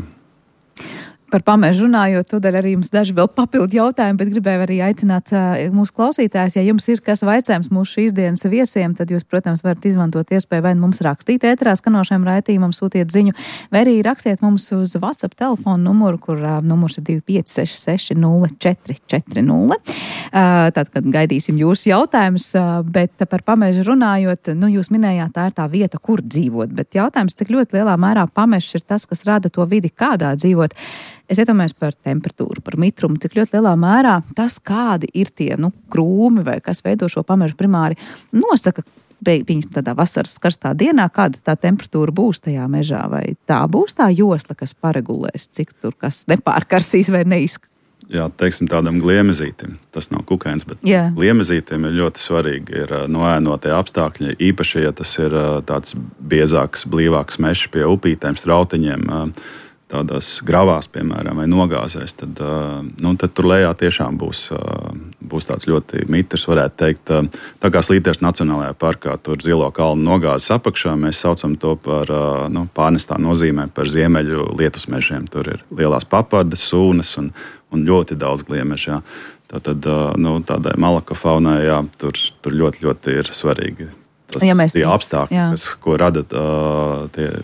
Par pamežu runājot, tūdaļ arī jums daži vēl papildu jautājumi, bet gribēju arī aicināt mūsu klausītājus, ja jums ir kas vaicājums mūsu šīs dienas viesiem, tad jūs, protams, varat izmantot iespēju vai mums rakstīt ēterā skanošajam raidījumam, sūtiet ziņu, vai arī rakstiet mums uz WhatsApp telefonu numuru, kur numurs ir 2566 0440. Tad, kad gaidīsim jūsu jautājumus, bet par pamežu runājot, jūs minējāt, tā ir tā vieta, kur dzīvot, bet jautājums, cik ļoti lielā mērā pamežs ir tas, kas rada to vidi, kādā dzīvot. Es iedomājos par temperatūru, par mitrumu, cik ļoti lielā mērā tas, kādi ir tie krūmi vai kas veido šo pamežu primāri, nosaka, pieņemsim tādā vasaras karstā dienā, kāda tā temperatūra būs tajā mežā, vai tā būs tā josla, kas paregulēs, cik tur kas nepārkarsīs vai neizskatās. Jā, teiksim tādam gliemezītim, tas nav kukainis, bet gliemezītim ir ļoti svarīgi ir noēnotie apstākļi, īpaši, ja tas ir tāds biezāks, blīvāks mežs pie upītēm, strautiņiem, tādās gravās, piemēram, vai nogāzēs, tad tur lejā tiešām būs tāds ļoti mitrs, varētu teikt. Tā kā Slīteres Nacionālajā parkā, tur Zilo kalnu nogāzes apakšā, mēs saucam to par, pārnestā nozīmē par ziemeļu lietusmežiem. Tur ir lielās papardes, sūnas un ļoti daudz gliemežā. Tātad, tādai malaka faunai, tur ļoti, ļoti ir svarīgi. Tie apstākļi, ko rada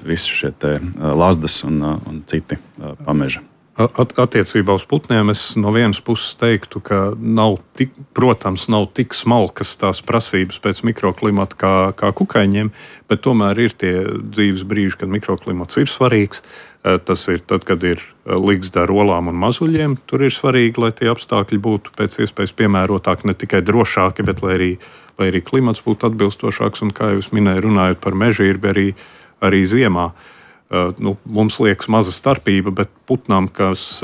visi šie lazdas un citi pameži. Attiecībā uz putniem es no vienas puses teiktu, ka nav tik smalkas tās prasības pēc mikroklimata kā kukaiņiem, bet tomēr ir tie dzīves brīži, kad mikroklimats ir svarīgs. Tas ir tad, kad ir ligzda ar olām un mazuļiem. Tur ir svarīgi, lai tie apstākļi būtu pēc iespējas piemērotāki, ne tikai drošāki, bet lai arī klimats būtu atbilstošāks. Un, kā jūs minējāt, runājot par mežīrbi, arī ziemā. Mums liekas maza starpība, bet putnām, kas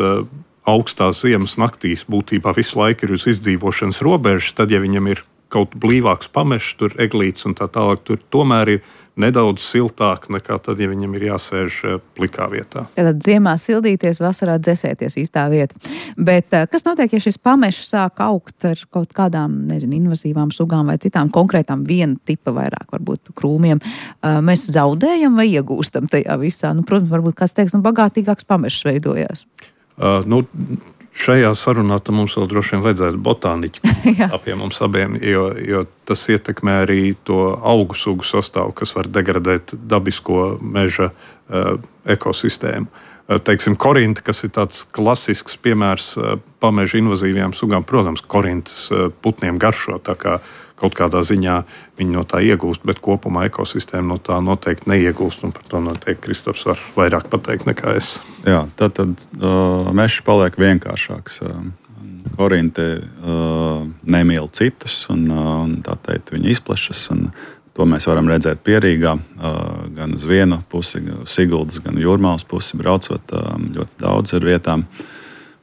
augstās ziemas naktīs būtībā visu laiku ir uz izdzīvošanas robežas, tad, ja viņam ir kaut blīvāks pamežs, tur eglītes un tā tālāk, tur tomēr ir nedaudz siltāk nekā tad, ja viņam ir jāsēž plikā vietā. Tad ziemā sildīties, vasarā dzesēties īstā vieta. Bet kas notiek, ja šis pamežs sāk augt ar kaut kādām, invazīvām sugām vai citām konkrētām viena tipa vairāk, varbūt krūmiem? Mēs zaudējam vai iegūstam tajā visā? Protams, varbūt kāds teiks, bagātīgāks pamežs veidojās. Šajā sarunā mums vēl droši vien vajadzētu botāniķi apie mums abiem, jo tas ietekmē arī to augu sugu sastāvu, kas var degradēt dabisko meža ekosistēmu. Teiksim, korinta, kas ir tāds klasisks piemērs pameža invazīvajām sugām, protams, korintas putniem garšo, tā kā kaut kādā ziņā viņi no tā iegūst, bet kopumā ekosistēma no tā noteikti neiegūst, un par to noteikti Kristaps var vairāk pateikt nekā es. Jā, tad mežs paliek vienkāršāks. Korinte nemīl citus, un tā teikt, viņi izplešas, un to mēs varam redzēt Pierīgā, gan uz vienu pusi, gan Siguldas, gan Jūrmālas pusi braucot, ļoti daudz ir vietām.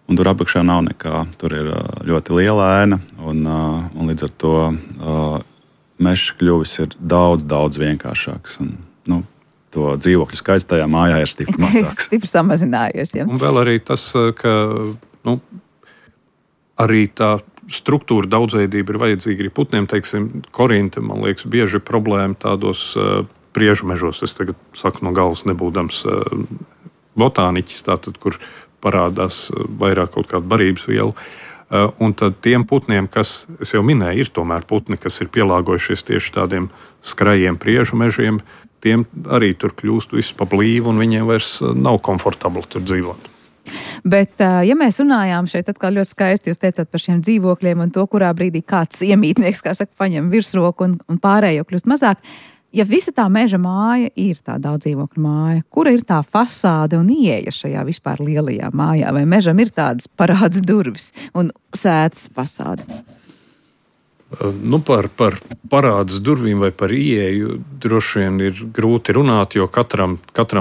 Un tur apakšā nav nekā. Tur ir ļoti liela ēna, un līdz ar to mežs kļuvis ir daudz, daudz vienkāršāks. Un, to dzīvokļu skaits tajā mājā ir stipri mazāks. Stipri samazinājies, ja. Un vēl arī tas, ka arī tā struktūra daudzveidība ir vajadzīga arī putniem. Teiksim, korinte, man liekas, bieži problēma tādos priežu mežos. Es tagad saku no galvas nebūdams botāniķis, tātad, kur parādās vairāk kaut kāda barības viela. Un tad tiem putniem, kas, es jau minēju, ir tomēr putni, kas ir pielāgojušies tieši tādiem skrajiem priežu mežiem, tiem arī tur kļūst viss pa blīvu, un viņiem vairs nav komfortabli tur dzīvot. Bet, ja mēs runājām šeit atkal ļoti skaisti, jūs teicāt par šiem dzīvokļiem un to, kurā brīdī kāds iemītnieks, kā saka, paņem virsroku un pārējo kļūst mazāk, ja visa tā meža māja ir tā daudzdzīvokļu māja, kura ir tā fasāde un ieeja šajā vispār lielajā mājā, vai mežam ir tādas parāds durvis un sētas fasāde? Par parādas durvīm vai par ieeju droši vien ir grūti runāt, jo katram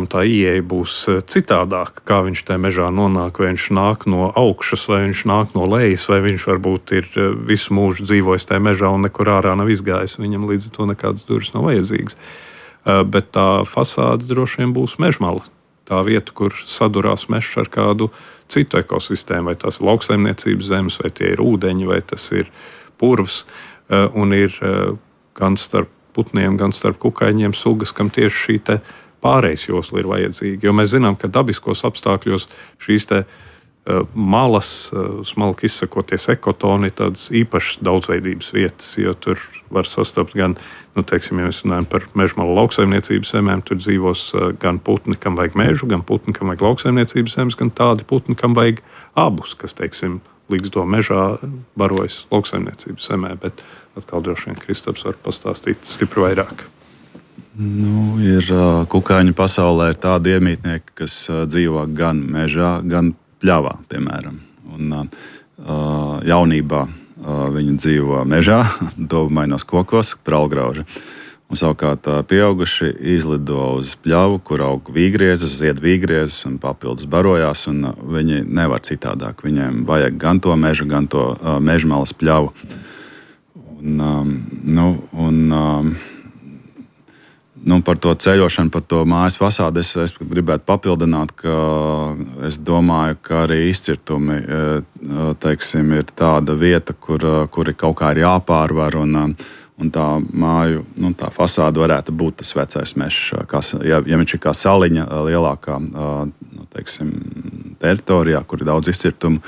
tā ieeja būs citādāka, kā viņš tajā mežā nonāk, vai viņš nāk no augšas, vai viņš nāk no lejas, vai viņš varbūt ir visu mūžu dzīvojis tajā mežā un nekur ārā nav izgājis, viņam līdz ar to nekādas durvis nav vajadzīgas. Bet tā fasāde droši vien būs mežmala. Tā vieta, kur sadurās mežs ar kādu citu ekosistēmu, vai tās ir lauksaimniecības zemes, vai tie ir ūdeņi, vai tas ir purvs. un ir gan starp putniem, gan starp kukaiņiem sugas, kam tieši šī te pārejas josla ir vajadzīga. Jo mēs zinām, ka dabiskos apstākļos šīs te malas, smalki izsakoties ekotoni, tādas īpašas daudzveidības vietas, jo tur var sastapt gan, teiksim, ja mēs runājam par mežmalu lauksaimniecības zemēm, tur dzīvos gan putni, kam vajag mežu, gan putni, kam vajag lauksaimniecības zemes, gan tādi putni, kam vajag abus, kas, teiksim, līgzdo mežā, barojas lauksaimniecības zemē, bet atkal droši vien Kristaps var pastāstīt stipri vairāk. Ir kukaiņu pasaulē ir tādi iemītnieki, kas dzīvo gan mežā, gan pļavā, piemēram. Un jaunībā viņi dzīvo mežā, dobumainos kokos, pralgrauži. Un savukārt pieauguši izlido uz pļavu, kur aug vīgriezes, zied vīgriezes un papildus barojās, un viņi nevar citādāk. Viņiem vajag gan to mežu, gan to mežmalas pļavu. Par to ceļošanu, par to mājas fasādi es gribētu papildināt, ka es domāju, ka arī izcirtumi, teiksim, ir tāda vieta, kuri kaut kā ir jāpārvar, un tā māju, tā fasāde varētu būt tas vecais mežs, ja viņš ir kā saliņa lielākā, teiksim, teritorijā, kur ir daudz izcirtumu.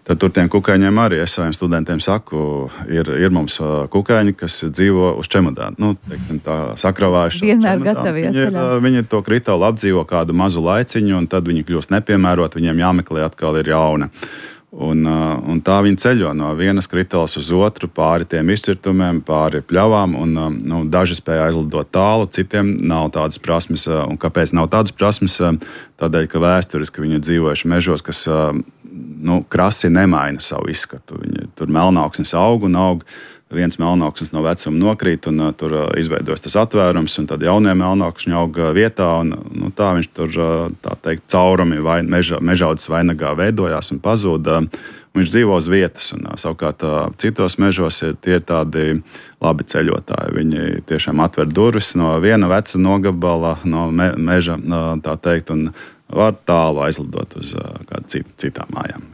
Tad tur tiem kukaiņiem arī, es saviem studentiem saku, ir mums kukaiņi, kas dzīvo uz čemodāna. Teiksim, tā sakravājuši. Vienmēr gatavi ceļā. Viņi to kritālu apdzīvo kādu mazu laiciņu, un tad viņi kļūst nepiemērot, viņiem jāmeklē atkal ir jauna. Un tā viņi ceļo no vienas kritālas uz otru, pāri tiem izcirtumiem, pāri pļavām, un daži spēja aizlidot tālu, citiem nav tādas prasmes. Un kāpēc nav tādas prasmes? Tādēļ, ka vēsturiski viņi dzīvojuši mežos, kas krasi nemaina savu izskatu. Viņi tur melnauksnes aug un aug. Viens melnauksnes no vecuma nokrīt, un tur izveidojas tas atvērums, un tad jaunie melnaukšņi aug vietā, un tā viņš tur, tā teikt, caurumi mežaudzes vainagā veidojās un pazūda. Viņš dzīvo uz vietas, un savukārt citos mežos tie ir tādi labi ceļotāji. Viņi tiešām atver durvis no viena veca nogabala, no meža, tā teikt, un var tālu aizlidot uz kādu citām mājām.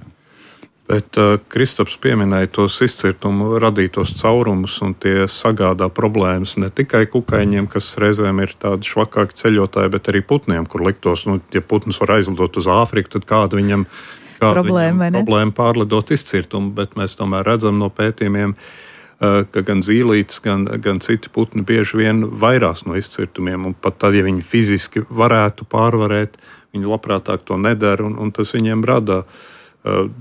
Bet Kristaps pieminēja tos izcirtumu radītos caurumus, un tie sagādā problēmas ne tikai kukaiņiem, kas reizēm ir tādi švakāki ceļotāji, bet arī putniem, kur liktos, ja putns var aizlidot uz Āfriku, tad kāda viņam problēma pārlidot izcirtumu, bet mēs tomēr redzam no pētījumiem, ka gan zīlītes, gan citi putni bieži vien vairās no izcirtumiem, un pat tad, ja viņi fiziski varētu pārvarēt, viņi labprātāk to nedara, un tas viņiem rada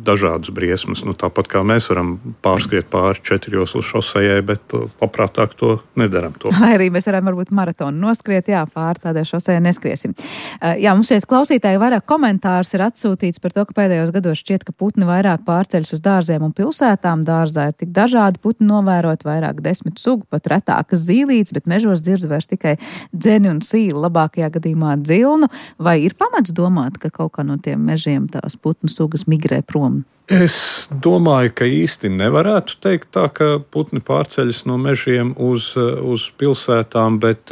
dažādas briesmas. Tāpat kā mēs varam pārskriet pāri 4 joslu šosejai, bet labprātāk to nedaram. Lai arī mēs varam varbūt maratonu noskriet, pāri tādai šosejai neskriesim. Mums šeit klausītāji vairāk komentārs ir atsūtīts par to, ka pēdējos gados šķiet, ka putni vairāk pārceļas uz dārziem un pilsētām. Dārzā ir tik dažādi putni novērot, vairāk 10 sugu, pat retākas zīlītes, bet mežos dzird vairs tikai dzeni un sīli, labākajā gadījumā dzilnu. Vai ir pamats domāt, ka kaut kā no tiem mežiem tās putnu sugas migrē prom? Es domāju, ka īsti nevarētu teikt tā, ka putni pārceļas no mežiem uz pilsētām, bet,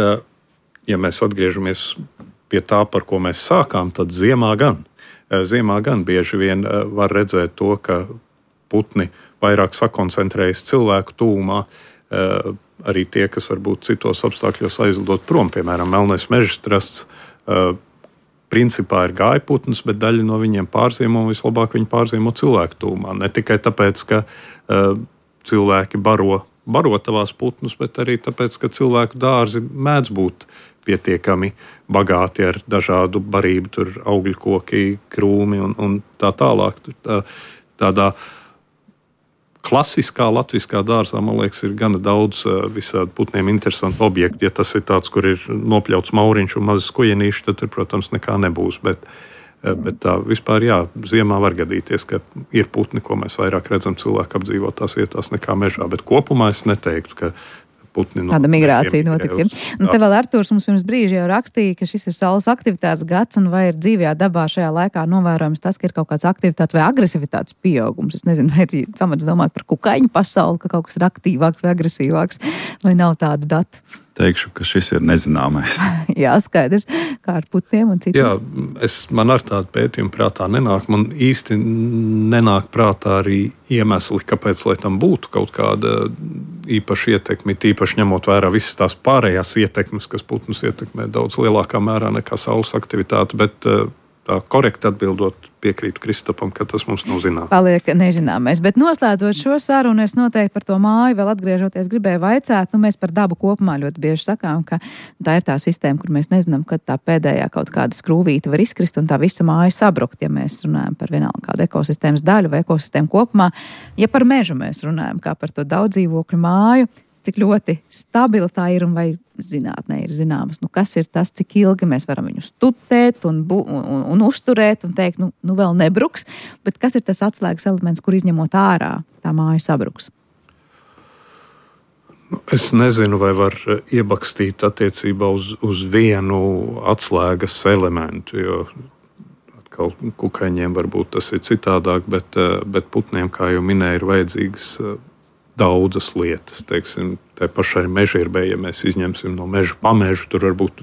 ja mēs atgriežamies pie tā, par ko mēs sākām, tad ziemā gan. Ziemā gan bieži vien var redzēt to, ka putni vairāk sakoncentrējas cilvēku tūmā, arī tie, kas varbūt citos apstākļos aizlidot prom, piemēram, melnais mežstrasts, principā ir gājputns, bet daļa no viņiem pārziemo, un vislabāk viņi pārziemo cilvēku tūmā. Ne tikai tāpēc, ka cilvēki baro tavās putnus, bet arī tāpēc, ka cilvēku dārzi mēdz būt pietiekami bagāti ar dažādu barību, tur augļu koki, krūmi un tā tālāk. Tādā klasiskā latviskā dārzā, man liekas, ir gana daudz visādi putniem interesantu objektu. Ja tas ir tāds, kur ir nopļauts mauriņš un mazas kujenīši, tad tur, protams, nekā nebūs. Bet tā vispār, ziemā var gadīties, ka ir putni, ko mēs vairāk redzam cilvēku apdzīvotās vietās nekā mežā. Bet kopumā es neteiktu, ka putni tāda migrācija notika. Un te vēl Artūrs mums pirms brīža jau rakstīja, ka šis ir saules aktivitātes gads, un vai ir dzīvajā dabā šajā laikā novērojams tas, ka ir kaut kāds aktivitātes vai agresivitātes pieaugums. Es nezinu, vai ir pamats domāt par kukaiņu pasauli, ka kaut kas ir aktīvāks vai agresīvāks, vai nav tādu datu. teikšu, ka šis ir nezināmais. Jā, skaidrs, kā ar putniem un citiem. Jā, man ar tādu pētījumu prātā nenāk. Man īsti nenāk prātā arī iemesli, kāpēc, lai tam būtu kaut kāda īpaša ietekme, tīpaši ņemot vērā visas tās pārējās ietekmes, kas putnus ietekmē daudz lielākā mērā nekā saules aktivitāte, bet tā korekti atbildot, piekrītu Kristapam, ka tas mums nav zināms. Paliek nezināmais, bet noslēdzot šo sarunu, es noteikti par to māju vēl atgriežoties gribēju vaicāt, mēs par dabu kopumā ļoti bieži sakām, ka tā ir tā sistēma, kur mēs nezinām, kad tā pēdējā kaut kāda skrūvīte var izkrist un tā visa māja sabrukt, ja mēs runājam par vienalga kādu ekosistēmas daļu vai ekosistēmu kopumā. Ja par mežu mēs runājam, kā par to daudzdzīvokļu māju, cik ļoti stabila tā ir un vai zinātnē ir zināmas, kas ir tas, cik ilgi mēs varam viņu studēt un uzturēt un teikt, vēl nebruks, bet kas ir tas atslēgas elements, kur izņemot ārā tā māja sabruks? Es nezinu, vai var iebakstīt attiecībā uz vienu atslēgas elementu, jo atkal kukaiņiem varbūt tas ir citādāk, bet putniem, kā jau minēju, ir vajadzīgas daudzas lietas. Teiksim, tai pašai mežģīrbei, ja mēs izņemsim no meža pamežu, tur varbūt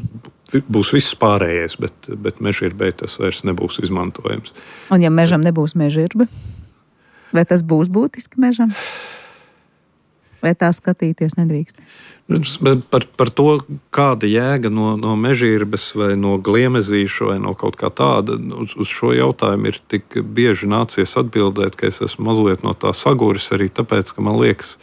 būs viss pārējais, bet mežģīrbei tas vairs nebūs izmantojams. Un ja mežam nebūs mežģirbe, vai tas būs būtiski mežam? Vai tā skatīties nedrīkst? Par to, kāda jēga no mežģīrbes vai no gliemezīša vai no kaut kā tāda, uz šo jautājumu ir tik bieži nācies atbildēt, ka es esmu mazliet no tā saguris arī tāpēc, ka man liekas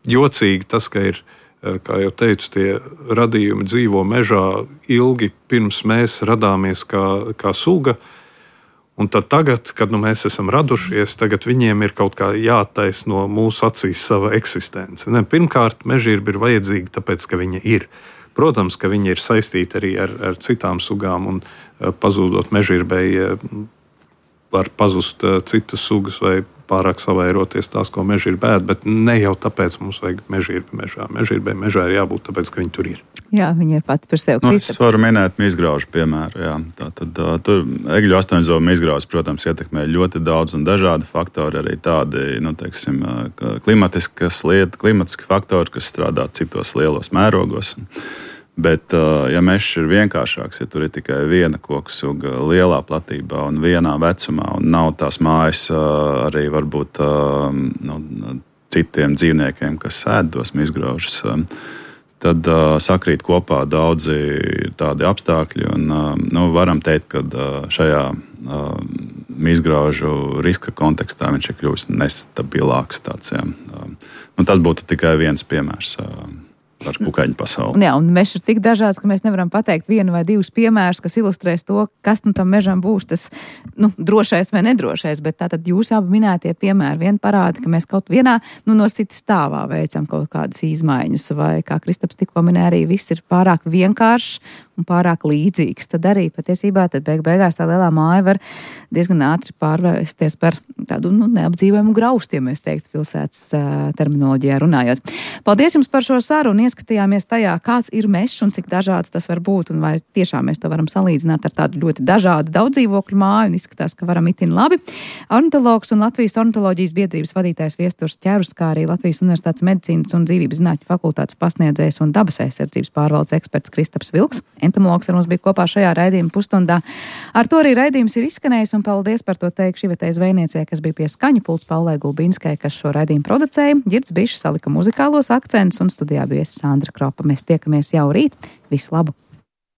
jocīgi tas, ka ir, kā jau teicu, tie radījumi dzīvo mežā ilgi pirms mēs radāmies kā suga. Un tad tagad, kad mēs esam radušies, tagad viņiem ir kaut kā jāattaisno mūsu acīs sava eksistence. Pirmkārt, mežģīrba ir vajadzīga tāpēc, ka viņa ir. Protams, ka viņa ir saistīta arī ar citām sugām, un pazūdot mežģīrbei var pazust citas sugas vai pārāk savairoties tās, ko mežģīrba ēd, bet ne jau tāpēc mums vajag mežģīrbu mežā. Mežģīrbai mežā ir jābūt tāpēc, ka viņi tur ir. Jā, viņi ir pati par sevi. Es varu minēt mizgraužu piemēru. Jā. Tātad tur egļu astoņzobu mizgraužs, protams, ietekmē ļoti daudz un dažādi faktori, arī tādi, klimatiski faktori, kas strādā citos lielos mērogos. Bet, ja mežs ir vienkāršāks, ja tur ir tikai viena koku suga lielā platībā un vienā vecumā, un nav tās mājas arī varbūt citiem dzīvniekiem, kas ēd tos mizgraužus, tad sakrīt kopā daudzi tādi apstākļi. Un, varam teikt, ka šajā mizgraužu riska kontekstā viņš ir kļuvis nestabilāks. Tas būtu tikai viens piemērs par kukaiņu pasauli. Jā, un mežs ir tik dažāds, ka mēs nevaram pateikt vienu vai divus piemērus, kas ilustrēs to, kas tam mežam būs tas drošais vai nedrošais, bet tātad jūs abi minētie piemēri vien parāda, ka mēs kaut vienā no citas stāvā veicam kaut kādas izmaiņas, vai, kā Kristaps tikko minēja, arī viss ir pārāk vienkāršs un pārāk līdzīgs. Tad arī patiesībā beigās tā lielā māja var diezgan ātri pārvērsties par tādu neapdzīvojumu graustu, ja mēs teiktu pilsētas terminoloģijā runājot. Paldies jums par šo sarunu, ieskatījāmies tajā, kāds ir mežs un cik dažāds tas var būt, un vai tiešām mēs to varam salīdzināt ar tādu ļoti dažādu daudzdzīvokļu māju, un izskatās, ka varam itin labi. Ornitologs un Latvijas ornitoloģijas biedrības vadītājs Viesturs Ķerus, kā arī Latvijas Universitātes medicīnas un dzīvības zinātņu fakultātes pasniedzējs un dabas aizsardzības pārvaldes eksperts Kristaps Vilks. Entomologs ar mums bija kopā šajā raidījuma pusstundā. Ar to arī raidījums ir izskanējis, un paldies par to teikšu Ivetei Zvejniecei, kas bija pie skaņu pults, Paulai Gulbinskai, kas šo raidījumu producēja. Girds Bišs salika muzikālos akcentus, un studijā bija Sandra Kropa. Mēs tiekamies jau rīt. Visu labu!